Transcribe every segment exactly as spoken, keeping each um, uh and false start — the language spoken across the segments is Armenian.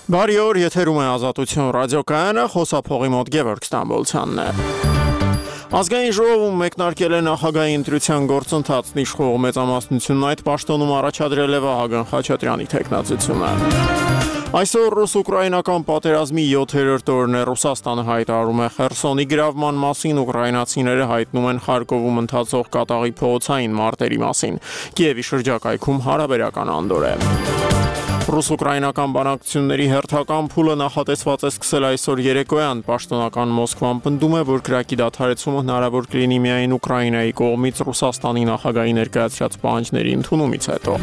Բարի օր, եթերում է Ազատություն ռադիոկայանը, խոսափողի մոտ Գևորգ Ստամբոլցյանն է։ Ազգային ժողովում մեկնարկել է նախագահի ընտրության գործընթացն, իշխող մեծամասնությունն այդ պաշտոնում առաջադրել է Վահագն Խաչատրյանի թեկնածությունը։ Այսօր ռուս-ուկրաինական պատերազմի յոթերորդ օրն է, Ռուսաստանը հայտարարում է Խերսոնի գրավման մասին, ուկրաինացիները հայտնում են Խարկովում ընթացող կատաղի փողոցային մարտերի մասին։ Կիևի շրջակայքում հարաբերական անդոր է։ Ռուս-ուկրաինական բանակցությունների հերթական փուլը նախատեսված է սկսել այսօր երեկոյան, պաշտոնական Մոսկվան պնդում է, որ կրակի դադարեցումը հնարավոր կլինի միայն Ուկրաինայի կողմից Ռուսաստանի նախագահի ներկայացրած պահանջների ընդունումից հետո։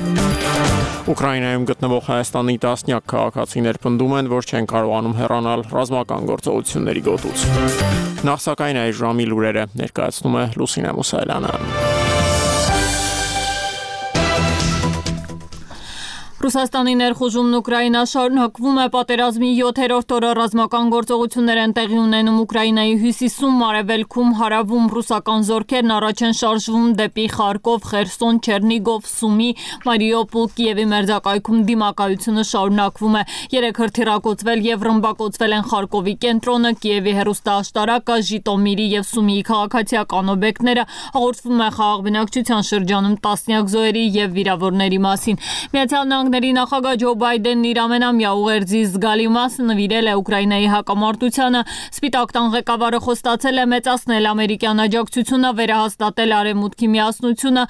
Ուկրաինայում գտնվող Հայաստանի տասնյակ քաղաքացիներ պնդում են, որ չեն կարողանում հեռանալ ռազմական գործողությունների գոտուց։ Նախ սակայն այս ժամի լուրերը ներկայացնում է Լուսինե Մուսայելյանը։ Ռուսաստանի ներխուժումն Ուկրաինա շարունակվում է, պատերազմի յոթերորդ օրը ռազմական գործողություններ են տեղի ունենում Ուկրաինայի հյուսիսում, արևելքում, հարավում ռուսական զորքերն առաջ են շարժվում դեպի Խարկով, Խերսոն, Չերնիգով, Սումի, Մարիուպոլ, Կիևի մերձակայքում դիմակայությունը շարունակվում է։ Երեք հրթիռակոծվել եւ ռմբակոծվել են Խարկովի կենտրոնը, Կիևի հեռուստաաշտարակը, Ժիտոմիրի եւ Սումիի քաղաքացիական օբյեկտները, հաղորդվում է խաղաղ բնակչության շրջանում տասնյակ զոհերի եւ վիրավորների մասին։ Միացյալ Նահանգների նախագահ Ջո Բայդենն իր ամենամյա ուղերձի զգալի մասը նվիրել է Ուկրաինայի հակամարտությանը։ Սպիտակ տան ղեկավարը խոստացել է մեծացնել ամերիկյան աջակցությունը, վերահաստատել արևմուտքի միասնությունը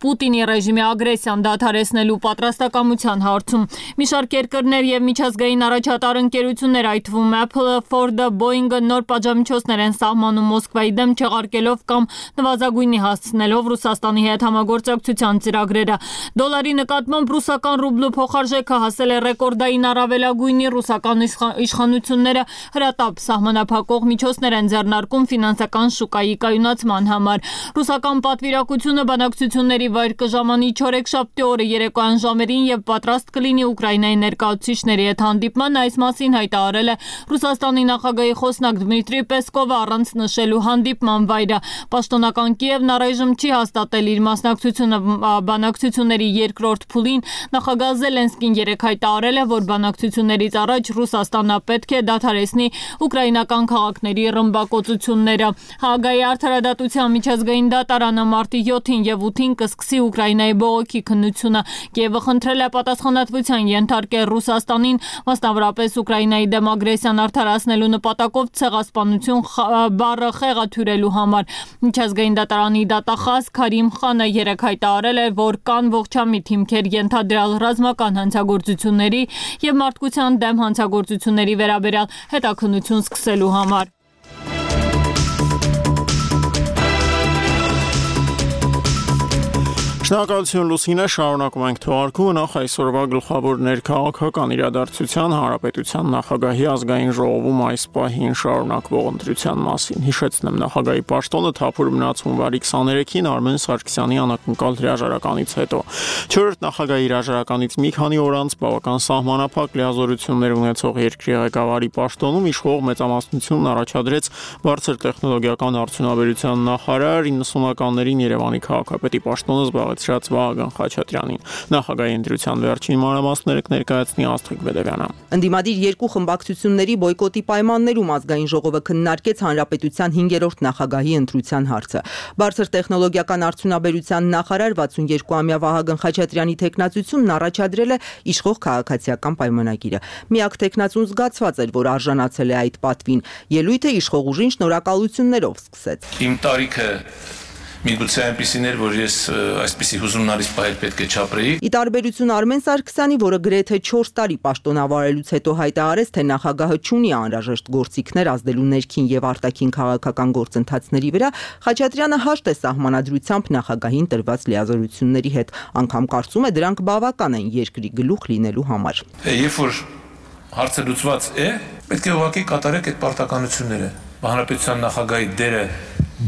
Պուտինի ռեժիմի ագրեսիան դադարեցնելու պատրաստակամության հարցում։ Մի շարք երկրներ եւ միջազգային առաջատար ընկերություններ, այդ թվում Apple-ը, Ford-ը, Boeing-ը նոր պատժամիջոցներ են սահմանում Մոսկվայի դեմ, չեղարկելով կամ նվազագույնի հասցնելով Ռուսաստանի հետ համագործակցության ծրագրերը։ Դոլարի նկատմամբ ռուսական ռուբլու փոխարժեքը հասել է ռեկորդային առավելագույնի, ռուսական իշխանությունները հրատապ սահմանափակող միջոցներ են ձեռնարկում ֆինանսական շուկայի կայունացման համար։ Ռուսական պատվիրակությունը բանակցությունների վայր կժամանի չորեքշաբթի օրը երեկոյան ժամերին եւ պատրաստ կլինի Ուկրաինայի ներկայացուցիչների հետ հանդիպման, այս մասին հայտարարել է Ռուսաստանի նախագահի խոսնակ Դմիտրի Պեսկովը առանց նշելու հանդիպման վայրը։ Պաշտոնական Կիևն առայժմ չի հաստատել իր մասնակցությունը բանակցությունների երկրորդ փուլին։ Նախագահ Զելենսկին երեկ հայտարարել է, որ բանակցություններից առաջ Ռուսաստանը պետք է դադարեցնի ուկրաինական քաղաքների ռմբակոծությունները։ Հաագայի արդարադատության միջազգային դատարանը մարտի յոթին եւ ութին կսկսի Ուկրաինայի բողոքի քննությունը։ Կիևը խնդրել է պատասխանատվության ենթարկել Ռուսաստանին, մասնավորապես Ուկրաինայի դեմ ագրեսիան արդարացնելու նպատակով ցեղասպանություն բառը խեղաթյուրելու համար։ Միջազգային դատարանի դատախազ Քարիմ Խանը երեկ հայտարարել է, որ կան ողջամիտ հիմքեր ենթադրյալ ռազմական հանցագործությունների եւ մարդկության դեմ հանցագործությունների վերաբերյալ հետաքննություն սկսելու համար։ Շնորհակալություն Լուսինե, շարունակում ենք թողարկումը, նախ այսօրվա գլխավոր ներքաղաքական իրադարձության, Հանրապետության նախագահի ազգային ժողովում այս պահին շարունակվող ընտրության մասին։ Հիշեցնեմ, նախագահի պաշտոնը թափուր մնաց հունվարի քսաներեքին Արմեն Սարգսյանի անակնկալ հրաժարականից հետո։ Չորրորդ նախագահի հրաժարականից մի քանի օր անց բավական սահմանափակ լիազորություններ ունեցող երկրի ղեկավարի պաշտոնում իշխող մեծամասնությունն առաջադրեց բարձր տեխնոլոգիական արդյունաբերության նախարար, իննսունականներին Երևանի քաղաքապետի պաշտոնը զբաղեց Վահագն Խաչատրյանին։ Նախագահի ընտրության վերջին մանրամասները կներկայացնի Աստղիկ Բեդևյանը։ Ընդդիմադիր երկու խմբակցությունների բոյկոտի պայմաններում ազգային ժողովը քննարկեց հանրապետության հինգերորդ նախագահի ընտրության հարցը։ Բարձր տեխնոլոգիական արդյունաբերության նախարար վաթսունյոթ-ամյա Վահագն Խաչատրյանի թեկնածությունն առաջադրել է իշխող քաղաքացիական պայմանագիրը։ Միակ թեկնածուն զգացված էր, որ արժանացել է այդ պատվին։ Ելույթը իշխող ուժին շնորհակալություններով սկսեց։ Իմ տարիքը Միգուցե այնպիսին էր, որ ես այսպիսի հուզումնալից պահեր պետք է չապրեի։ Ի տարբերություն Արմեն Սարգսյանի, որը գրեթե չորս տարի պաշտոնավարելուց հետո հայտարարեց, թե նախագահը չունի անհրաժեշտ գործիքներ ազդելու ներքին եւ արտաքին քաղաքական գործընթացների վրա, Խաչատրյանը հաշտ է սահմանադրությամբ նախագահին տրված լիազորությունների հետ, անգամ կարծում է դրանք բավական են երկրի գլուխ լինելու համար։ Երբ որ հարցը լուծված է, պետք է ուղղակի կատարեք այդ պարտականությունները։ Հանրապետության նախագահի դերը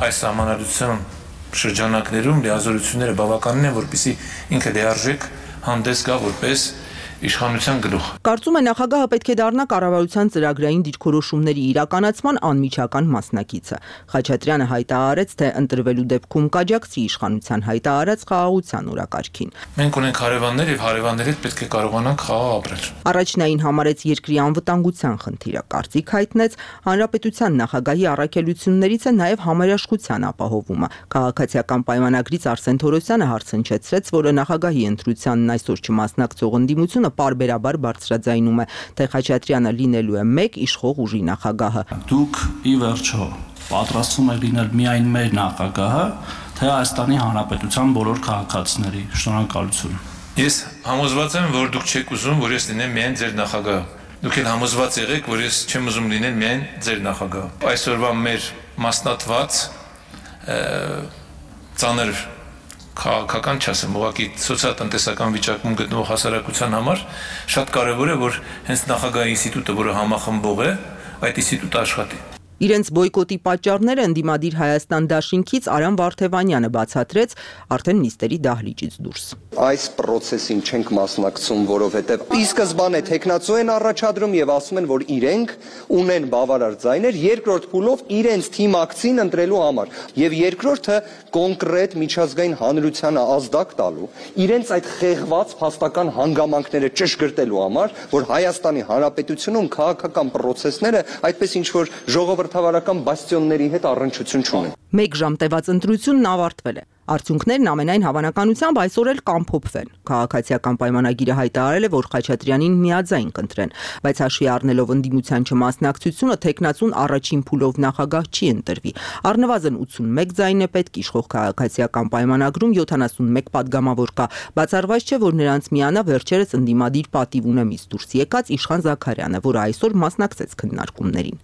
այս սահմանադրության շրջանակներում լիազորությունները բավականին են, որպեսզի ինքը լիարժեք հանդես գա որպես իշխանության գլուխ։ Կարծում է նախագահը պետք է դառնա կառավարության ծրագրային դիրքորոշումների իրականացման անմիջական մասնակիցը։ Խաչատրյանը հայտարարեց, թե ընտրվելու դեպքում կաջակցի իշխանության հայտարարած խաղաղության օրակարգին։ Մենք ունենք հարևաններ եւ հարևանների հետ պետք է կարողանանք խաղաղ ապրել։ Առաջնային համարեց երկրի անվտանգության խնդիրը, կարծիք հայտնեց հանրապետության նախագահի առաքելություններից է նաև համերաշխության ապահովումը։ Քաղաքացիական պայմանագրից Արսեն Թորոսյանը հարցնչեցրեց, որը նախագահի ընտրությանն այսօր չմասնակցող ընդդիմությունը պարբերաբար բարձրաձայնում է, թե Խաչատրյանը լինելու է մեկ իշխող ուժի նախագահը։ Դուք ի վերջո պատրաստվում եք լինել միայն մեր նախագահը, թե Հայաստանի Հանրապետության բոլոր քաղաքացիների։ Շնորհակալություն։ Ես համոզված եմ, որ դուք չեք ուզում, որ ես լինեմ միայն ձեր նախագահը։ Դուք էլ համոզված եղեք, որ ես չեմ ուզում լինել միայն ձեր նախագահը։ Այսօրվա մեր մասնատված ծանր քաղաքական չասեմ, ուղղակի սոցիալ-տնտեսական վիճակում գտնվող հասարակության համար շատ կարևոր է, որ հենց նախագահի ինստիտուտը, որը համախմբող է, այդ ինստիտուտը աշխատի։ Իրենց բոյկոտի պատճառները ընդդիմադիր Հայաստան դաշինքից Արամ Վարդևանյանը բացատրեց արդեն նիստերի դահլիճից դուրս։ Այս process-ին չենք մասնակցում, որովհետև ի սկզբանե տեխնացու են առաջադրում եւ ասում են, որ իրենք ունեն բավարար ձայներ երկրորդ փուլով իրենց թիմակցին ընտրելու համար եւ երկրորդը կոնկրետ միջազգային հանրությանը ազդակ տալու, իրենց այդ խեղված փաստական հանգամանքները ճշգրտելու համար, որ Հայաստանի Հանրապետությունում քաղաքական process-ները այդպես ինչ որ ժողովրդավարական բաստիոնների հետ առնչություն չունեն։ Մեկ ժամ տևած ընտրությունն ավարտվել է։ Արդյունքներն ամենայն հավանականությամբ այսօր էլ կամփոփվեն։ Քաղաքացիական պայմանագիրը հայտարարել է, որ Խաչատրյանին միաձայն կընտրեն, բայց հաշվի առնելով ընդդիմության չմասնակցությունը, թեկնածուն առաջին փուլով նախագահ չի ընտրվի։ Առնվազն ութսունմեկ ձայն է պետք իշխող քաղաքացիական պայմանագրում յոթանասունմեկ падգամավոր կա։ Բացառված չէ, որ նրանց միանա վերջերս ընդդիմադիր պատիվ ունեմից դուրս եկած Իշխան Զաքարյանը, որը այսօր մասնակցեց քննարկումներին։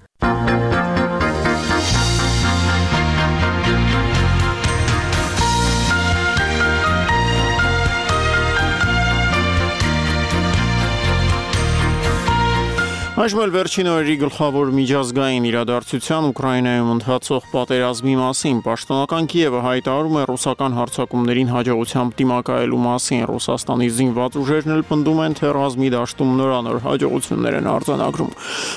Այժմ էլ վերջին օրերի գլխավոր միջազգային իրադարձության Ուկրաինայում ընթացող պատերազմի մասին պաշտոնական Կիևը հայտարարում է ռուսական հարձակումներին հաջողությամբ դիմակայելու մասին։ Ռուսաստանի զինված ուժերն էլ պնդում են, թե ռազմի դաշտում նորանոր հաջողություններ են արձանագրում։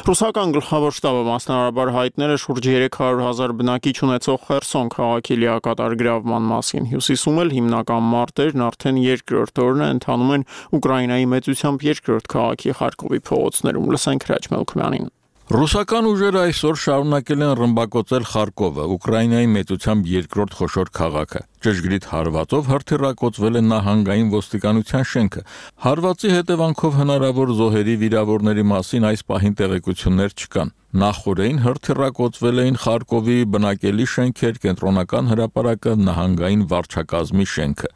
Ռուսական գլխավոր շտաբը մասնարարաբար հայտնել է շուրջ երեք հարյուր հազար բնակիչ ունեցող Խերսոն քաղաքի լիակատար գրավման մասին։ Հյուսիսում էլ հիմնական մարտերն արդեն երկրորդ օրն է ընթանում են Ուկրաինայի մեծությամբ երկրորդ քաղաքի Խարկովի փողոցներում։ Լսենք Ռուսական ուժերը այսօր շարունակել են ռմբակոծել Խարկովը, Ուկրաինայի մեծությամբ երկրորդ խոշոր քաղաքը։ Ճշգրիտ հարվածով հրթիռակոծվել է նահանգային ոստիկանության շենքը։ Հարվածի հետևանքով հնարավոր զոհերի վիրավորների մասին այս պահին տեղեկություններ չկան։ Նախորդին հրթիռակոծվել էին Խարկովի բնակելի շենքեր, կենտրոնական հրապարակը, նահանգային վարչակազմի շենքը։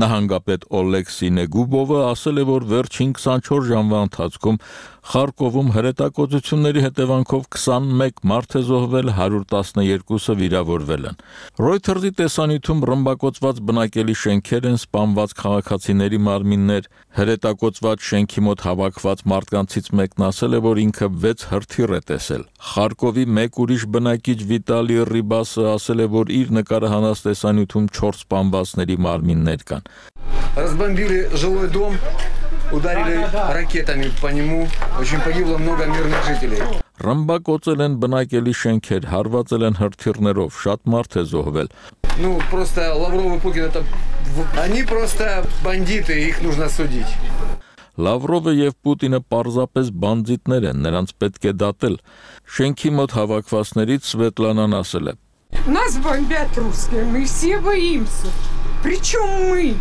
Նահանգապետ Օլեքսի Նեգուբովը ասել է, որ վերջին քսանչորս ժամվա ընթացքում Խարկովում հրետակոծությունների հետևանքով քսանմեկ մարդ է զոհվել, հարյուր տասնյոթը վիրավորվել են։ Reuters-ի տեսանյութում ռմբակոծված բնակելի շենքեր են, սպանված քաղաքացիների մարմիններ, հրետակոծված շենքի մոտ հավաքված մարդկանցից մեկն ասել է, որ ինքը վեց հրթիռ է տեսել։ Խարկովի մեկ ուրիշ բնակիչ Վիտալի Ռիբասը ասել է, որ իր նկարահանած տեսանյութում չորս սպանվածների մարմիններ կան։ Разбомбили жилой дом, ударили ракетами по нему, очень погибло много мирных жителей. Ռմբակոծել են բնակելի շենքեր, հարվածել են հրթիռներով, շատ մարդ է զոհվել։ Ну, просто Лавров и Путин это они просто бандиты, их нужно судить. Լավրովը եւ Պուտինը պարզապես բանդիտներ են, նրանց պետք է դատել։ Շենքի մոտ հավաքվածներից Սվետլանան ասել է. Нас бомбят русские, мы все боимся. Причем мы?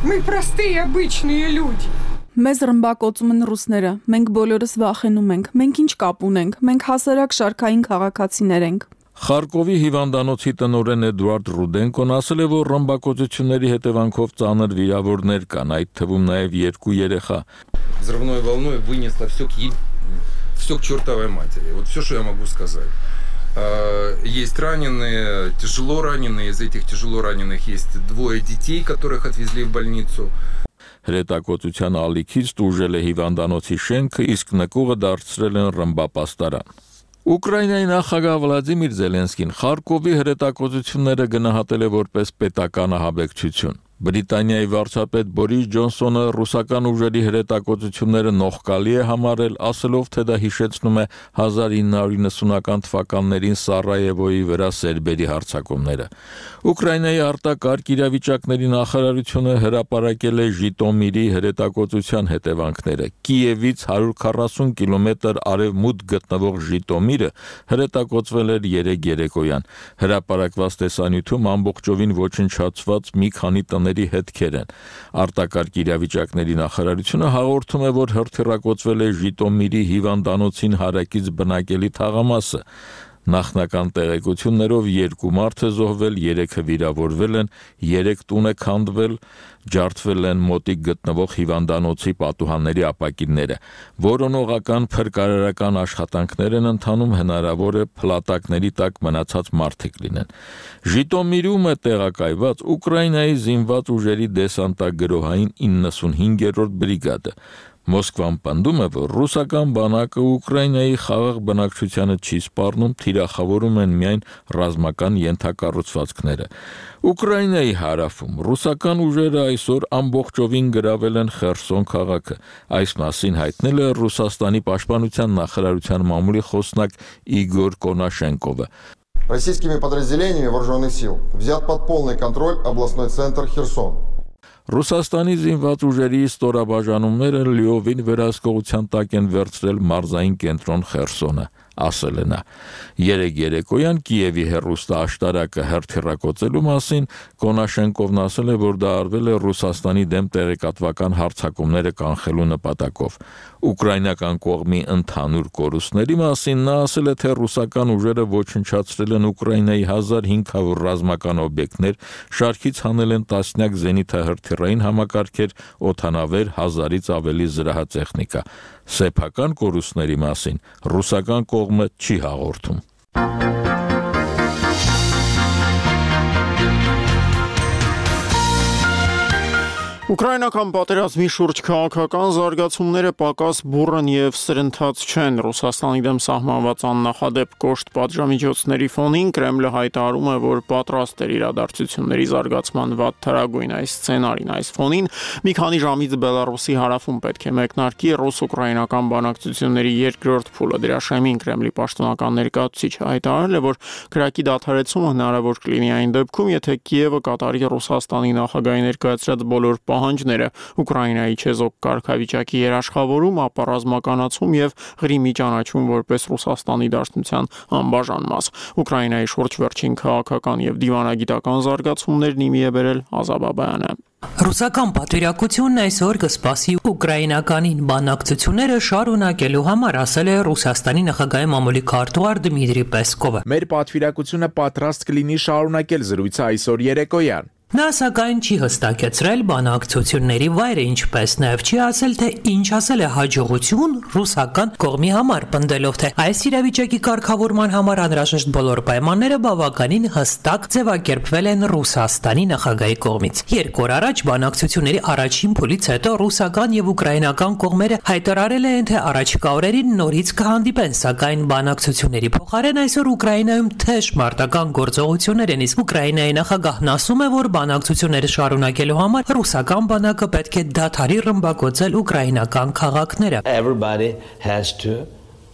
Мы простые обычные люди. Մեզ ռմբակոծում են ռուսները, մենք բոլորս վախենում ենք, մենք ինչ կապ ունենք, մենք հասարակ շարքային քաղաքացիներ ենք։ Խարկովի հիվանդանոցի տնօրեն Էդուարդ Ռուդենկոն ասել է, որ ռմբակոծությունների հետևանքով ծանր վիրավորներ կան, այդ թվում նաև երկու երեխա։ Взрывной волной вынесло все к все к чертовой матери. Вот все, что я могу сказать. Есть раненые, тяжело раненые, из этих тяжело раненых есть двое детей, которых отвезли в больницу. Հրետակոծության ալիքից տուժել է հիվանդանոցի շենքը, իսկ նկուղը դարձրել են ռմբապաստարան։ Ուկրաինայի նախագահ Վլադիմիր Զելենսկին Խարկովի հրետակոծությունները գնահատել է որպես պետական ահաբեկչություն։ Բրիտանիայի վարչապետ Բորիս Ջոնսոնը ռուսական ուժերի հրետակոծությունները նողկալի է համարել, ասելով, թե դա հիշեցնում է հազար ինը հարյուր իննսունական թվականներին Սարայևոյի վրա սերբերի հարձակումները։ Ուկրաինայի արտակարգ իրավիճակների նախարարությունը հրապարակել է Ժիտոմիրի հրետակոծության հետևանքները։ Կիևից հարյուր քառասուն կիլոմետր արևմուտք գտնվող Ժիտոմիրը հրետակոծվել էր երեկ երեկոյան։ Հրապարակված տեսանյութում ամբողջովին ոչնչացված մի քանի տների հետքեր են։ Արտակարգ իրավիճակների նախարարությունը հաղորդում է, որ հրթիռակոծվել է Ժիտոմիրի հիվանդանոցին հարակից բնակելի թաղամասը։ Նախնական տեղեկություններով երկու մարդ է զոհվել, երեքը վիրավորվել են, երեք տուն է քանդվել, ջարդվել են մոտիկ գտնվող հիվանդանոցի պատուհանների ապակիները։ Որոնողական փրկարարական աշխատանքներ են ընթանում, հնարավոր է փլատակների տակ մնացած մարդիկ լինեն։ Ժիտոմիրում է տեղակայված Ուկրաինայի զինված ուժերի դեսանտագրոհային իննսունհինգերորդ բրիգադը։ Մոսկվան պնդում է, որ ռուսական բանակը Ուկրաինայի խաղաղ բնակչությանը չի սպառնում, թիրախավորում են միայն ռազմական ենթակառուցվածքները։ Ուկրաինայի հարավում ռուսական ուժերը այսօր ամբողջովին գրավել են Խերսոն քաղաքը։ Այս մասին հայտնել է Ռուսաստանի պաշտպանության նախարարության մամուլի խոսնակ Իգոր Կոնաշենկովը։ Российскими подразделениями вооруженных сил взят под полный контроль областной центр Херсон. Ռուսաստանի զինված ուժերի ստորաբաժանումները լիովին վերահսկողության տակ են վերցրել մարզային կենտրոն Խերսոնը, ասել է նա։ Երեկ երեկոյան Կիևի հեռուստաաշտարակը հրթիռակոծելու մասին Կոնաշենկովն ասել է, որ դա արվել է Ռուսաստանի դեմ տեղեկատվական հարձակումները կանխելու նպատակով։ Ուկրաինական կողմի ընդհանուր կորուստների մասին նա ասել է, թե ռուսական ուժերը ոչնչացրել են Ուկրաինայի հազար հինգ հարյուր ռազմական օբյեկտներ, շարքից հանել են տասնյակ զենիթահրթիռային համակարգեր, օդանավեր, հազարից ավելի զրահատեխնիկա։ Սեփական կորուստների մասին ռուսական կողմը չի հաղորդում։ Ուկրաինական պատերազմի շուրջ քաղաքական զարգացումները պակաս բուռն եւ սրընթաց չեն։ Ռուսաստանի դեմ սահմանված աննախադեպ կոշտ պատժամիջոցների ֆոնին Կրեմլը հայտարարում է, որ պատրաստ էր իրադարձությունների զարգացման վատ թարագույն այս սցենարին։ Այս ֆոնին մի քանի ժամից Բելարուսի հարավում պետք է մեկնարկի ռուս-ուկրաինական բանակցությունների երկրորդ փուլը։ Դրա շեմին Կրեմլի պաշտոնական ներկայացուցիչը հայտարարել է, որ կրակի դադարեցումը հնարավոր կլինի այն դեպքում, եթե Կիևը կատարի Ռուսաստանի նախագահի ներկայացրած բոլոր պահանջները, Ուկրաինայի չեզոք կարգավիճակի երաշխավորում, ապա ռազմականացում եւ Ղրիմի ճանաչում որպես Ռուսաստանի Դաշնության անբաժան մաս։ Ուկրաինայի շուրջ վերջին քաղաքական եւ դիվանագիտական զարգացումներն իմի է բերել Ազա Բաբայանը։ Ռուսական պատվիրակությունն այսօր կսպասի ուկրաինականին բանակցությունները շարունակելու համար, ասել է Ռուսաստանի նախագահի մամուլի քարտուղար Դմիտրի Պեսկովը։ Մեր պատվիրակությունը պատրաստ կլինի շարունակել զրույցը այսօր երեկոյան։ Նա սակայն չի հստակեցրել բանակցությունների վայրը, ինչպես նաև չի ասել, թե ինչ ասել է հաջողություն ռուսական կողմի համար, պնդելով, թե այս իրավիճակի կարգավորման համար անհրաժեշտ բոլոր պայմանները բավականին հստակ ձևակերպվել են Ռուսաստանի նախագահի կողմից։ Երկու օր առաջ բանակցությունների առաջին փուլից հետո ռուսական եւ ուկրաինական կողմերը հայտարարել են, թե առաջիկա օրերին նորից կհանդիպեն, սակայն բանակցությունների փոխարեն այսօր Ուկրաինայում թեժ մարտական գործողություններ են, իսկ Ուկրաինայի նախագահն ասում է, որ բանակցությունները շարունակելու համար ռուսական բանակը պետք է դադարի ռմբակոծել ուկրաինական քաղաքները։ Everybody has to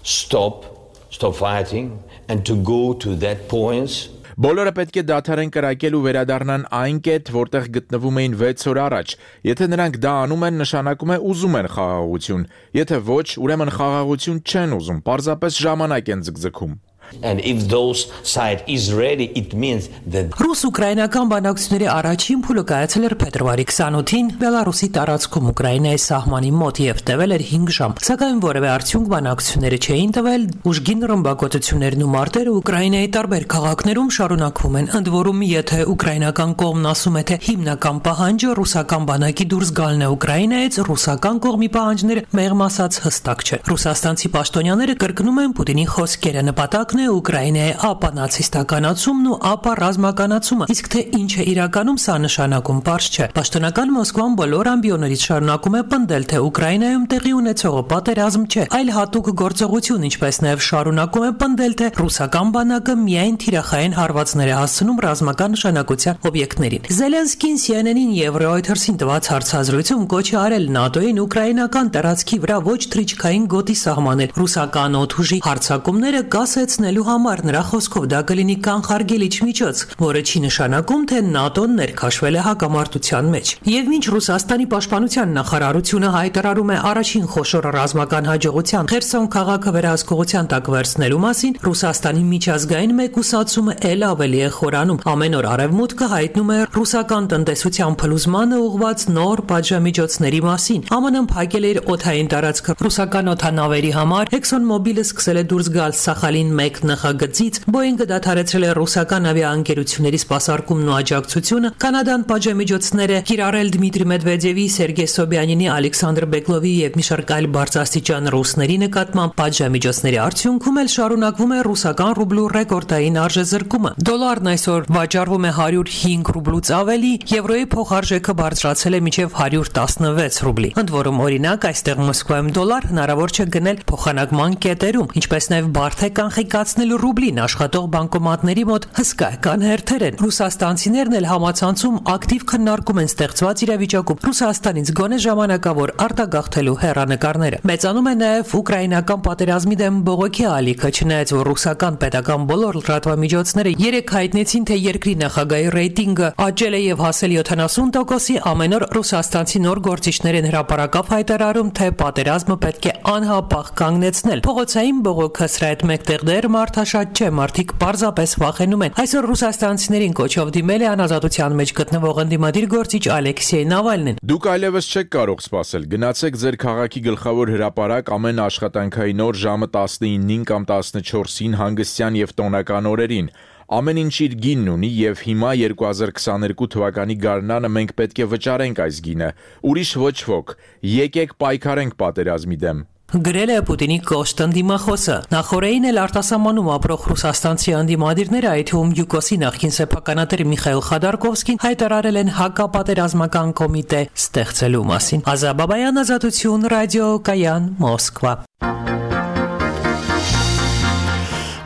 stop stop fighting and to go to that points. Բոլորը պետք է դադարեն կրակել ու վերադառնան այն կետ, որտեղ գտնվում էին վեց օր առաջ։ Եթե նրանք դա անում են, նշանակում է ուզում են խաղաղություն։ Եթե ոչ, ուրեմն խաղաղություն չեն ուզում, պարզապես ժամանակ են ձգձգում։ And if those side is ready, it means that Ռուս-ուկրաինական բանակցությունների առաջին փուլը կայացել էր փետրվարի քսանութին Բելարուսի տարածքում Ուկրաինայի սահմանի մոտ եւ տևել էր հինգ ժամ։ Սակայն որևէ արդյունք բանակցությունները չէին տվել, ուժգին ռմբակոծություններն ու մարտերը Ուկրաինայի տարբեր քաղաքներում շարունակվում են։ Ընդ որում, եթե ուկրաինական կողմն ասում է, թե հիմնական պահանջը ռուսական բանակի դուրս գալն է Ուկրաինայից, ռուսական կողմի պահանջները մեղմ ասած հստակ չէ։ Ռուսաստանցի պաշտոնյաները կրկնում են Պուտինի խոսքերը, նպատակն կօգնի Ուկրաինայի ապա նացիստականացումն ու ապա ռազմականացումը, իսկ թե ինչ է իրականում սա նշանակում պարզ չէ։ Պաշտոնական Մոսկվան բոլոր ամբիոներից շարունակում է պնդել, թե Ուկրաինայում տեղի ունեցողը պատերազմ չէ, այլ հատուկ գործողություն, ինչպես նաև շարունակում է պնդել, թե ռուսական բանակը միայն թիրախային հարվածներ է հասցնում ռազմական նշանակության օբյեկտներին։ Զելենսկին C N N-ին եւ Reuters-ին տված հարցազրույցում կոչ է արել ՆԱՏՕ-ին ուկրաինական տարածքի վրա ոչ թռիչքային գոտի սահմանել ռուսական օդուժի հարձակումները կասեցնելու համար։ Նրա խոսքով դա կլինի կանխարգելիչ միջոց, որը չի նշանակում, թե ՆԱՏՕ-ն ներքաշվել է հակամարտության մեջ։ Եվ մինչ Ռուսաստանի պաշտպանության նախարարությունը հայտարարում է առաջին խոշոր ռազմական հաջողության Խերսոն քաղաքը վերահսկողության տակ վերցնելու մասին, Ռուսաստանի միջազգային մեկուսացումը ել ավելի է խորանում։ Ամեն օր Արևմուտքը հայտնում է ռուսական տնտեսության փլուզմանը ուղղված նոր պատժամիջոցների մասին։ Ամն փակել է իր օդային տարածքը ռուսական օդանավերի համար, ExxonMobil-ը սկսել է դուրս գալ Սախալին մեկ նախագծից, Boeing-ը դադարեցրել է ռուսական ավիաընկերությունների սպասարկումն ու աջակցությունը, Կանադան պատժամիջոցներ է կիրառել Դմիտրի Մեդվեդևի, Սերգեյ Սոբյանինի, Ալեքսանդր Բեգլովի եւ մի շարք այլ բարձրաստիճան ռուսների նկատմամբ պատժամիջոցների արդյունքում էլ շարունակվում է ռուսական ռուբլու ռեկորդային արժեզրկումը։ Դոլարն այսօր վաճառվում է հարյուր հինգ ռուբլուց ավելի, եվրոյի փոխարժեքը բարձրացել է մինչև հարյուր տասնվեց ռուբլի։ Ընդ որում, օրինակ, այստեղ Մոսկվայում դոլար հնարավոր չէ գնել փոխանակման կետերում, ինչպես նաև բարդ է կանխիկացնել ռուբլին աշխատող բանկոմատների մոտ հսկայական հերթեր են։ Ռուսաստանցիներն էլ համացանցում ակտիվ քննարկում են ստեղծված իրավիճակում Ռուսաստանից գոնե ժամանակավոր արտագաղթելու հեռանկարները։ Մեծանում է նաև ուկրաինական պատերազմի դեմ բողոքի ալիքը, չնայած որ ռուսական պետական բոլոր լրատվամիջոցները երեք հայտնեցին, թե երկրի նախագահի ռեյտինգը աճել է եւ հասել յոթանասուն տոկոսի, ամեն օր ռուսաստանցի նոր գործիչներ են հրապարակավ հայտարարում, թե պատերազմը պետք է անհապաղ կանգնեցնել։ Փողոցային բողոքը սրա հետ մեկտեղ դեռ մարդաշատ չէ, մարդիկ պարզապես վախենում են։ Այսօր ռուսաստանցիներին կոչով դիմել է անազատության մեջ գտնվող ընդդիմադիր գործիչ Ալեքսեյ Նավալնին։ Դուք այլևս չեք կարող սպասել։ Գնացեք ձեր քաղաքի գլխավոր հրապարակ ամեն աշխատանքային օր ժամը տասնինին կամ տասնչորսին հանգստյան եւ տոնական օրերին։ Ամեն ինչ իր գինն ունի եւ հիմա երկու հազար քսաներկու թվականի գարնանը մենք պետք է վճարենք այս գինը։ Ուրիշ ոչ ոք։ Եկեք պայքարենք պատերազմի դեմ։ Գրել է Պուտինի կոշտ ընդդիմախոսը։ Նախորդին էլ արտասահմանում ապրող ռուսաստանցի ընդդիմադիրները, այդ թվում Յուկոսի նախկին սեփականատեր Միխայիլ Խադարկովսկին հայտարարել են հակապատերազմական կոմիտե ստեղծելու մասին։ Ազաբաբայան, Ազատություն, ռադիոկայան, Մոսկվա։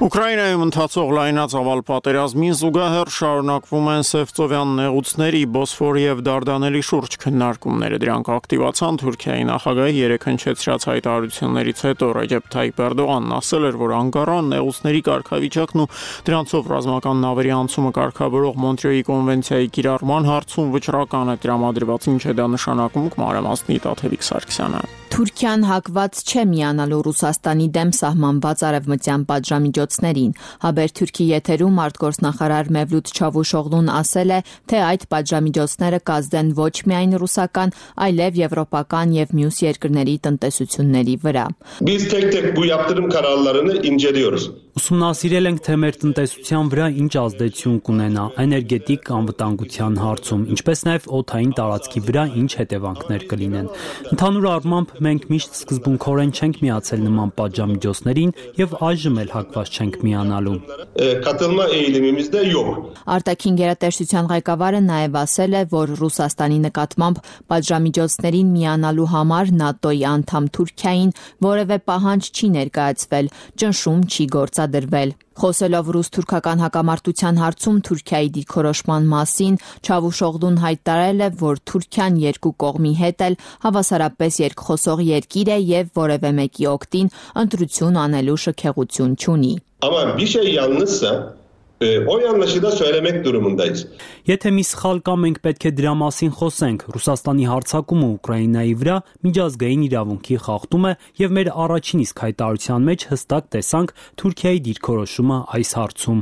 Ուկրաինայում ընթացող լայնածավալ պատերազմին զուգահեռ շարունակվում են Սևծովյան նեղուցների, Բոսֆորի եւ Դարդանելի շուրջ քննարկումները։ Դրանք ակտիվացան Թուրքիայի նախագահի երեկ հնչեցրած հայտարարություններից հետո Ռեջեփ Թայիփ Էրդողանն ասել էր, որ Անկարան նեղուցների կարգավիճակն ու դրանցով ռազմական նավերի անցումը կարգավորող Մոնտրեոյի կոնվենցիայի կիրառման հարցում վճռական է տրամադրված, ինչ է դա նշանակում, կմանրամասնի Տաթևիկ Սարգսյանը։ Թուրքիան հակված չէ միանալու Ռուսաստանի դեմ սահմանված արևմտյան պատժամիջոցներին։ Հաբերթուրքի եթերում արտգործնախարար Մևլութ Չավուշօղլուն ասել է, թե այդ պատժամիջոցները կազդեն ոչ միայն ռուսական, այլև եվրոպական եւ մյուս երկրների տնտեսությունների վրա։ Biz tek-tek bu yaptırım kararlarını inceliyoruz. Ուսումնասիրել ենք, թե մեր տնտեսության վրա ինչ ազդեցություն կունենա էներգետիկ անվտանգության հարցում, ինչպես նաև օդային տարածքի վրա ինչ հետևանքներ կլինեն։ Ընդհանուր առմամբ մենք միշտ սկզբունքորեն չենք միացել նման պատժամիջոցներին եւ այժմ էլ հակված չենք միանալու։ Katılma eğilimimizde yok. Արտաքին գերատեսչության ղեկավարը նաև ասել է, որ Ռուսաստանի նկատմամբ պատժամիջոցներին միանալու համար ՆԱՏՕ-ի անդամ Թուրքիային որևէ պահանջ չի ներկայացվել, ճնշում չի գործադրվել։ Խոսելով ռուս-թուրքական հակամարտության հարցում Թուրքիայի դիրքորոշման մասին, Չավուշօղլուն հայտարարել է, որ Թուրքիան երկու կողմի հետ էլ հավասարապես երկխոսող երկիր է եւ որևէ մեկի օգտին ընտրություն անելու շքեղություն չունի։ Ama bir şey yanlışsa o yanlışı da söylemek durumundayız. Եթե մի սխալ կա, մենք պետք է դրա մասին խոսենք։ Ռուսաստանի հարձակումը Ուկրաինայի վրա միջազգային իրավունքի խախտում է եւ մեր առաջին իսկ հայտարարության մեջ հստակ տեսանք Թուրքիայի դիրքորոշումը այս հարցում։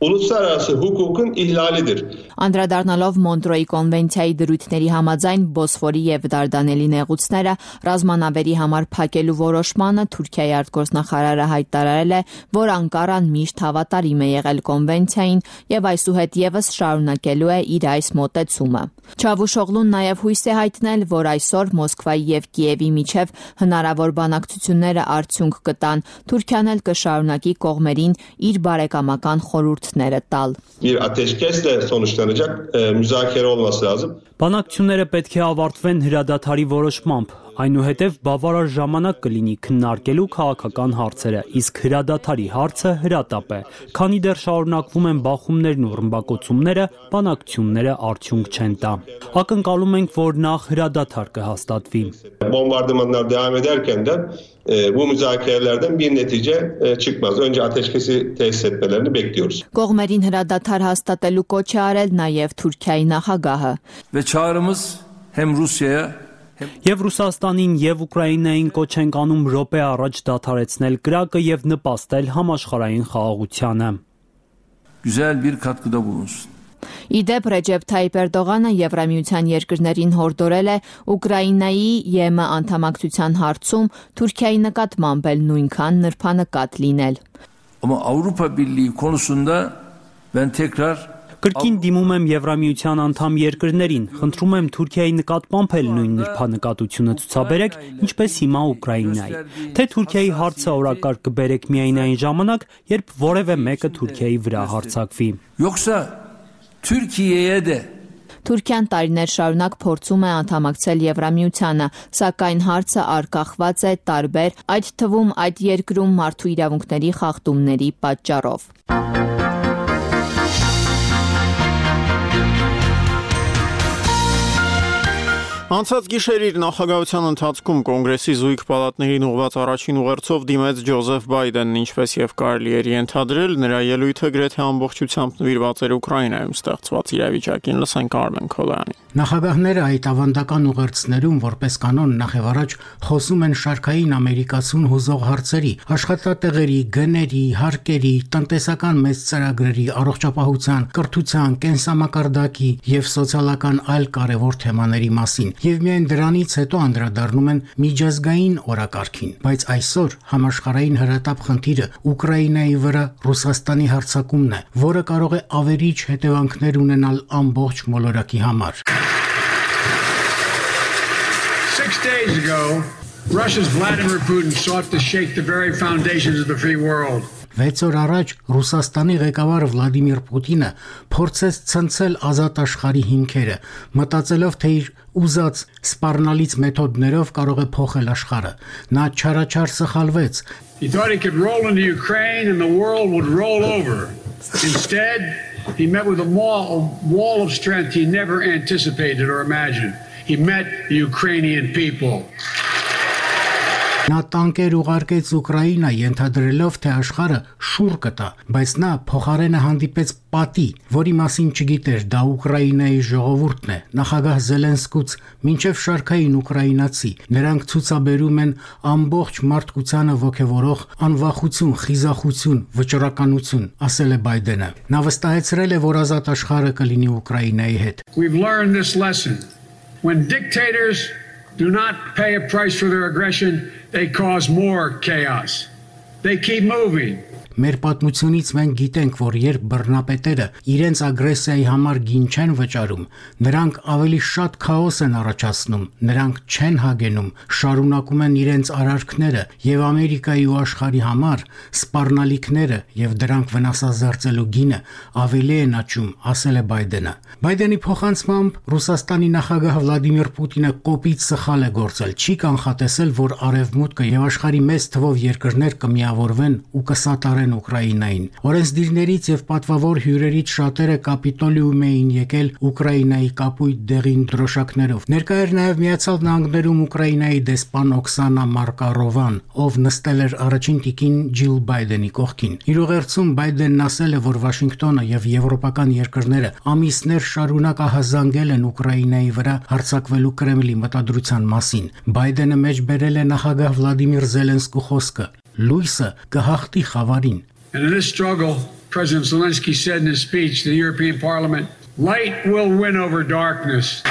uluslararası hukukun ihlalidir. Անդրադառնալով Մոնտրոյի կոնվենցիայի դրույթների համաձայն Բոսֆորի եւ Դարդանելի նեղուցները ռազմանավերի համար փակելու որոշմանը Թուրքիայի արտգործնախարարը հայտարարել է, որ Անկարան միշտ հավատարիմ է եղել կոնվենցիային եւ այսուհետ եւս շարունակելու է իր այս մոտեցումը։ Չավուշօղլուն նաեւ հույս է հայտնել, որ այսօր Մոսկվայի եւ Կիևի միջև հնարավոր բանակցությունները արդյունք կտան։ Թուրքիան էլ կշարունակի կողմերին իր բարեկամական խորհուրդները տալ։ Bir ateşkesle sonuçlanacak e, müzakere olması lazım. Բանակցությունները պետք է ավարտվեն հրադադարի որոշմամբ, այնուհետև բավարար ժամանակ կլինի քննարկելու քաղաքական հարցերը, իսկ հրադադարի հարցը հրատապ է։ Քանի դեռ շարունակվում են բախումներն ու ռմբակոծումները, բանակցությունները արդյունք չեն տա։ Ակնկալում ենք, որ նախ հրադադար կհաստատվի։ Bombardımanlar devam ederken de e, bu müzakerelerden bir netice e, çıkmaz. Önce ateşkesi tesis etmelerini bekliyoruz. Կողմերին հրադադար հաստատելու կոչ է արել նաև Թուրքիայի նախագահը։ Ve çağrımız hem Rusya'ya Եվ Ռուսաստանին եւ Ուկրաինային կոչ ենք անում րոպե առաջ դադարեցնել կրակը եւ նպաստել համաշխարհային խաղաղությանը։ Güzel bir katkıda bulunsun. Իդեպ Ռեջեփ Թայիպ Էրդողանը Եվրամիության երկրներին հորդորել է Ուկրաինայի ԵՄ անդամակցության հարցում Թուրքիայի նկատմամբ էլ նույնքան նրբանկատ լինել։ Ama Avrupa Birliği konusunda ben tekrar Կրկին դիմում եմ Եվրամիության անդամ երկրներին, խնդրում եմ Թուրքիայի նկատմամբ էլ նույն նրբանկատությունը ցուցաբերեք, ինչպես հիմա Ուկրաինայի։ Թե Թուրքիայի հարցը օրակարգ կբերեք միայն այն ժամանակ, երբ որևէ մեկը Թուրքիայի վրա հարձակվի։ Yoksa Türkiye'ye de Թուրքիան տարիներ շարունակ փորձում է անդամակցել Եվրամիությանը, սակայն հարցը արկախված է տարբեր, այդ թվում այդ երկրում մարդու իրավունքների խախտումների պատճառով։ Անցած գիշեր իր նախագահության ընթացքում կոնգրեսի զույգ պալատներին ուղղված առաջին ուղերձով դիմեց Ջոզեֆ Բայդենն, ինչպես եւ կարելի էր ենթադրել, նրա ելույթը գրեթե ամբողջությամբ նվիրված էր Ուկրաինայում ստեղծված իրավիճակին։ Լսենք Արմեն Քոլյանին։ Նախագահները այդ ավանդական ուղերձներում որպես կանոն նախևառաջ խոսում են շարքային ամերիկացուն հուզող հարցերի, աշխատատեղերի, գների, հարկերի, տնտեսական մեծ ծրագրերի, առողջապահության, կրթության, կենսամակարդակի եւ սոցիալական այլ կարևոր թեմաների մասին։ Եվ միայն դրանից հետո անդրադառնում են միջազգային օրակարգին, բայց այսօր համաշխարհային հրատապ խնդիրը Ուկրաինայի վրա Ռուսաստանի հարձակումն է, որը կարող է ավերիչ հետևանքներ ունենալ ամբողջ մոլորակի համար։ Six days ago, Russia's Vladimir Putin sought to shake the very foundations of the free world. Վեց օր առաջ Ռուսաստանի ղեկավար Վլադիմիր Պուտինը փորձեց ցնցել ազատ աշխարհի հիմքերը, մտածելով, թե իր ուզած սպառնալից մեթոդներով կարող է փոխել աշխարհը։ Նա չարաչար սխալվեց։ He thought he could roll into Ukraine and the world would roll over. Instead, he met with a wall, a wall of strength he never anticipated or imagined. He met the Ukrainian people. Նա տանկեր ուղարկեց Ուկրաինա, ենթադրելով, թե աշխարհը շուռ կտա, բայց նա փոխարենը հանդիպեց պատի, որի մասին չգիտեր, դա Ուկրաինայի ժողովուրդն է, նախագահ Զելենսկուց մինչև շարքային ուկրաինացի։ Նրանք ցուցաբերում են ամբողջ մարդկությանը ոգևորող անվախություն, խիզախություն, վճռականություն, ասել է Բայդենը։ Նա վստահեցրել է, որ ազատ աշխարհը կլինի Ուկրաինայի հետ։ We've learned this lesson. When dictators do not pay a price for their aggression, they cause more chaos. They keep moving. Մեր պատմությունից մենք գիտենք, որ երբ բռնապետերը իրենց ագրեսիայի համար գին չեն վճարում, նրանք ավելի շատ քաոս են առաջացնում, նրանք չեն հագենում, շարունակում են իրենց արարքները եւ Ամերիկայի ու աշխարհի համար սպառնալիքները եւ դրանք վնասազերծելու գինը ավելի են աճում, ասել է Բայդենը։ Բայդենի փոխանցմամբ Ռուսաստանի նախագահ Վլադիմիր Պուտինը կոպիտ սխալ է գործել, չի կանխատեսել, որ արևմուտքը եւ աշխարհի մեծ թվով երկրներ կմիավորվեն ու կսատարեն Ուկրաինային։ Օրենսդիրներից եւ պատվավոր հյուրերից շատերը Կապիտոլիում էին եկել Ուկրաինայի կապույտ դեղին դրոշակներով։ Ներկա էր նաեւ Միացյալ Նահանգներում Ուկրաինայի դեսպան Օքսանա Մարկարովան, ով նստել էր առաջին տիկին Ջիլ Բայդենի կողքին։ Իր ուղերձում Բայդենն ասել է, որ Վաշինգտոնը եւ եվրոպական երկրները ամիսներ շարունակ ահազանգել են Ուկրաինայի վրա հարձակվելու Կրեմլի մտադրության մասին։ Բայդենը մեջ բերել է նախագահ Վլադիմիր Զելենսկու խոսքը. Լույսը կհաղթի խավարին։ And in this struggle, President Zelensky said in his speech to the European Parliament, light will win over darkness.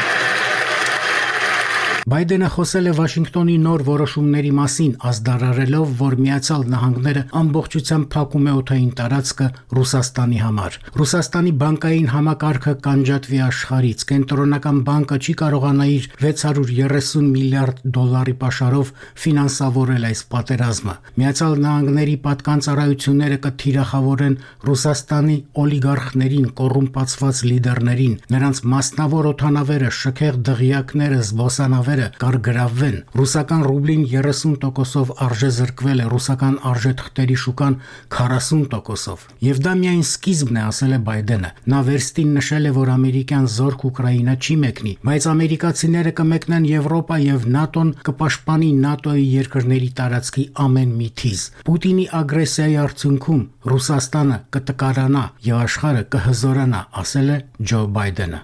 Բայդենը խոսել է Վաշինգտոնի նոր որոշումների մասին, ազդարարելով, որ Միացյալ Նահանգները ամբողջությամբ փակում է օդային տարածքը Ռուսաստանի համար։ Ռուսաստանի բանկային համակարգը կանջատվի աշխարհից, կենտրոնական բանկը չի կարողանա իր վեց հարյուր երեսուն միլիարդ դոլարի պաշարով ֆինանսավորել այս պատերազմը։ Միացյալ Նահանգների պատկանծառայությունները կթիրախավորեն Ռուսաստանի օլիգարխներին, կոռումպացված լիդերներին, նրանց մասնավոր օդանավերը, շքեղ դղյակները, զբոսանավերը կարգրավվեն։ Ռուսական ռուբլին երեսուն տոկոսով արժե զրկվել է, ռուսական արժեթղթերի շուկան քառասուն տոկոսով։ Եվ դա միայն սկիզբն է, ասել է Բայդենը։ Նա վերստին նշել է, որ ամերիկյան զորք Ուկրաինա չի մեկնի, բայց ամերիկացիները կմեկնեն Եվրոպա եւ ՆԱՏՕ-ն կպաշտպանի ՆԱՏՕ-ի երկրների տարածքի ամեն մի թիզ։ Պուտինի ագրեսիայի արդյունքում Ռուսաստանը կտկարանա եւ աշխարհը կհզորանա, ասել է Ջո Բայդենը։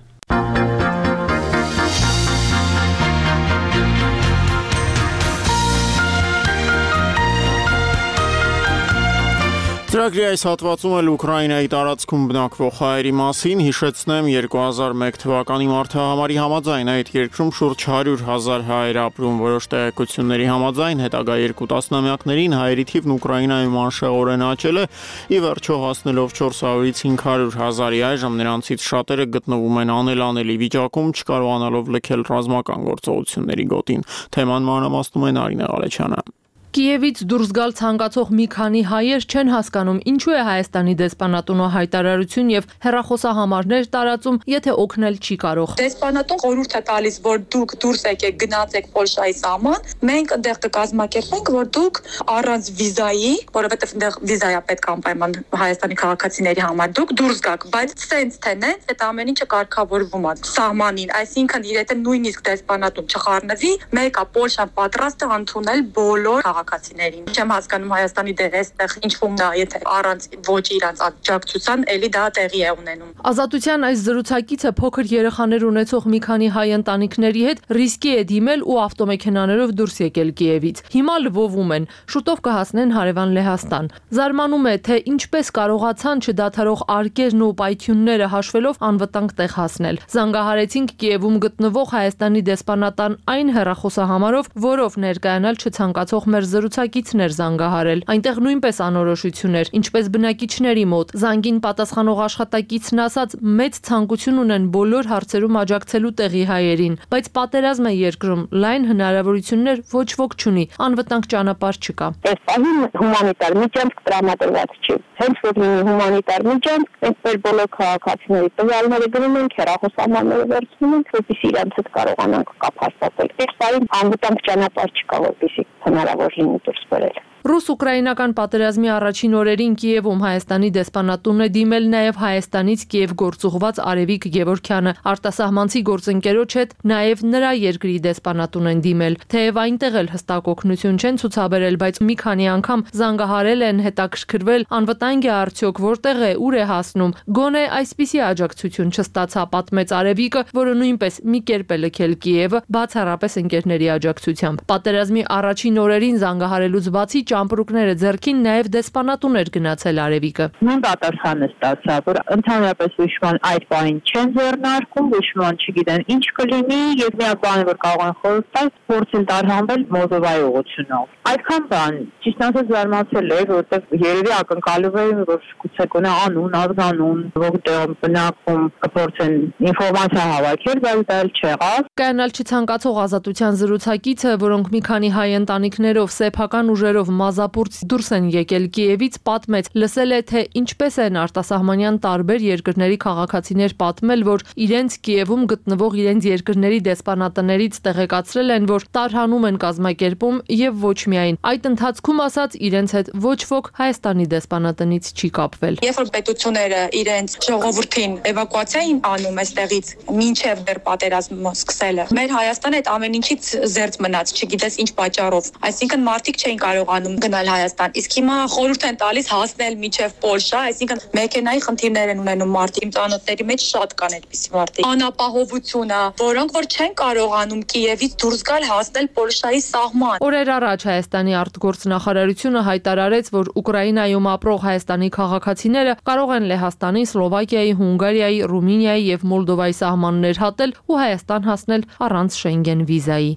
Ծրագրի այս հատվածում էլ Ուկրաինայի տարածքում բնակվող հայերի մասին հիշեցնեմ երկու հազար մեկ թվականի մարտահամարի համաձայն այդ երկրում շուրջ հարյուր հազար հայեր ապրում, որոշ տեղեկությունների համաձայն հետագա երկու տասնամյակներին հայերի թիվն Ուկրաինայում անշեղորեն աճել է, ի վերջո հասնելով չորս հարյուրից հինգ հարյուր հազարի, այժմ նրանցից շատերը գտնվում են անելանելի վիճակում, չկարողանալով լքել ռազմական գործողությունների գոտին։ Թեման մանրամասնում է Նարինե Ղալեչյանը։ Կիևից դուրս գալ ցանկացող մի քանի հայեր չեն հասկանում, ինչու է Հայաստանի դեսպանատունը հայտարարություն եւ հեռախոսահամարներ տարածում, եթե օգնել չի կարող։ Դեսպանատուն խորհուրդ է տալիս, որ դուք դուրս եկեք, գնացեք Պոլշայի սահման, մենք այնտեղ կկազմակերպենք, որ դուք առանց վիզայի, որովհետեւ այնտեղ վիզա է պետք անպայման Հայաստանի քաղաքացիների համար, դուք դուրս գաք, բայց սենց թե նենց այդ ամեն ինչը կարգավորվում է սահմանին, այսինքն եթե նույնիսկ դեսպանատուն չխառնվի, մեկը Պոլշան պատրաստ է ընդունել բոլոր քաղաքացիներին։ Չեմ հասկանում Հայաստանի դերը այստեղ ինչու՞ դա, եթե առանց ոչ իրանց աջակցության էլի դա տեղի է ունենում։ Ազատության այս զրուցակիցը փոքր երեխաներ ունեցող մի քանի հայ ընտանիքների հետ ռիսկի է դիմել ու ավտոմեքենաներով դուրս եկել Կիևից։ Հիմա լվովում են, շուտով կհասնեն հարևան Լեհաստան։ Զարմանում է, թե ինչպես կարողացան չդադարող արկերն ու պայթյունները հաշվելով անվտանգ տեղ հասնել։ Զանգահարեցինք Կիևում գտնվող Հայաստանի դեսպանատան այն հեռախոսահամարով, որով ներկայանալ չցանկացող մեր զրուցակիցներ զանգահարել։ Այնտեղ նույնպես անորոշություն էր, ինչպես բնակիչների մոտ։ Զանգին պատասխանող աշխատակիցն ասաց, մեծ ցանկություն ունեն բոլոր հարցերում աջակցելու տեղի հայերին, բայց պատերազմ է երկրում, լայն հնարավորություններ ոչ ոք չունի, անվտանգ ճանապարհ չկա։ Այս պահին հումանիտար միջանցք տրամադրված չի։ Հենց որ լինի հումանիտար միջանցք, այնպես բոլոր քաղաքացիների տվյալները գնում են, հեռախոսահամարները վերցնում են, որպեսզի իրենց հետ կարողանանք կապ հաստատել։ Այս պահին անվտանգ ճանապարհ չկա, որպեսզի հնարավոր լինի դուրս բերել։ Ռուս-ուկրաինական պատերազմի առաջին օրերին Կիևում Հայաստանի դեսպանատունն է դիմել նաև Հայաստանից Կիև գործուղված Արևիկ Գևորգյանը, արտասահմանցի գործընկերոջ հետ նաև նրա երկրի դեսպանատուն են դիմել։ Թեև այնտեղ էլ հստակ օգնություն չեն ցուցաբերել, բայց մի քանի անգամ զանգահարել են, հետաքրքրվել, անվտանգ է արդյոք, որտեղ է, ուր է հասնում։ Գոնե այսպիսի աջակցություն չստացա, պատմեց Արևիկը, որը նույնպես մի կերպ է լքել Կիևը, բացառապես ընկերների աջակցությամբ։ Պատերազմի առաջին օրերին զանգահարելուց բացի ճամպրուկները ձեռքին նաև դեսպանատուն էր գնացել Արևիկը։ Նույն պատասխանը ստացա, որ ընդհանրապես հուշման այդ բանին չեն ձեռնարկում, հուշման չգիտեն ինչ կլինի, եւ միակ բանը որ կարող են խորհուրդ տալ, փորձեն տարհանվել Մոլդովայի ուղղությունով։ Այդքան բան, ճիշտ ասած զարմացել էր, որովհետեւ երևի ակնկալում էին, որ գուցե կոնա անուն, ազգանուն, որտեղ բնակվում կփորձեն ինֆորմացիա հավաքել, բայց դա էլ չեղավ։ Կանալ չցանկացող ազատության զրուցակիցը, որոնք մի քանի հայ ընտանիքներով սեփական ուժերով մազապուրց դուրս են եկել Կիևից, պատմեց, լսել է, թե ինչպես են արտասահմանյան տարբեր երկրների քաղաքացիներ պատմել, որ իրենց Կիևում գտնվող իրենց երկրների դեսպանատներից տեղեկացրել են, որ տարհանում են կազմակերպում եւ ոչ միայն։ Այդ ընթացքում ասաց իրենց հետ ոչ ոք Հայաստանի դեսպանատնից չի կապվել։ Երբ որ պետությունները իրենց ժողովրդին էվակուացիա են անում այստեղից մինչև դեռ պատերազմը սկսելը, մեր Հայաստանը այդ ամեն ինչից զերծ մնաց, չգիտես ինչ պատճառով։ Այսինքն մարդիկ չէին կարողանում կարողանում գնալ Հայաստան։ Իսկ հիմա խորհուրդ են տալիս հասնել մինչև Պոլշա, այսինքն մեքենայի խնդիրներ են ունենում մարդիկ, իմ ծանոթների մեջ շատ կան այդպիսի մարդիկ։ Անապահովությունը, որոնք որ չեն կարողանում Կիևից դուրս գալ հասնել Պոլշայի սահման։ Օրեր առաջ Հայաստանի արտգործնախարարությունը հայտարարեց, որ Ուկրաինայում ապրող հայաստանի քաղաքացիները կարող են Լեհաստանի, Սլովակիայի, Հունգարիայի, Ռումինիայի եւ Մոլդովայի սահմաններ հատել ու Հայաստան հասնել առանց Շենգեն վիզայի։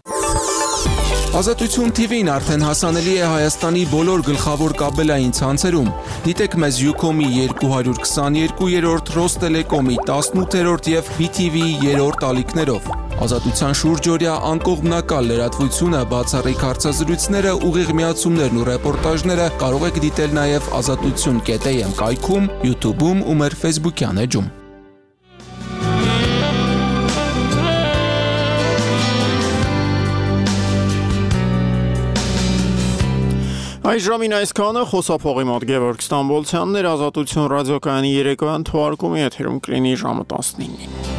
Ազատություն Թի Վին արդեն հասանելի է Հայաստանի բոլոր գլխավոր կաբելային ցանցերում։ Դիտեք մեզ Ucom-ի երկու հարյուր քսաներկուերորդ, Ռոստելեկոմի տասնութերորդ եւ բի թի վիի երրորդ ալիքներով։ Ազատության շուրջօրյա անկողմնակալ լրատվությունը, բացառիկ հարցազրույցները, ուղիղ միացումներն ու ռեպորտաժները կարող եք դիտել նաեւ ազատություն կետ էյ էմ կայքում, YouTube-ում ու մեր Facebook-յան էջում։ Այս ժամին այսքանը խոսափողի մոտ Գևորգ Ստամբոլցյանն էր, Ազատություն ռադիոկայանի երեկոյան թողարկումի եթերում կլինի ժամը տասնինին։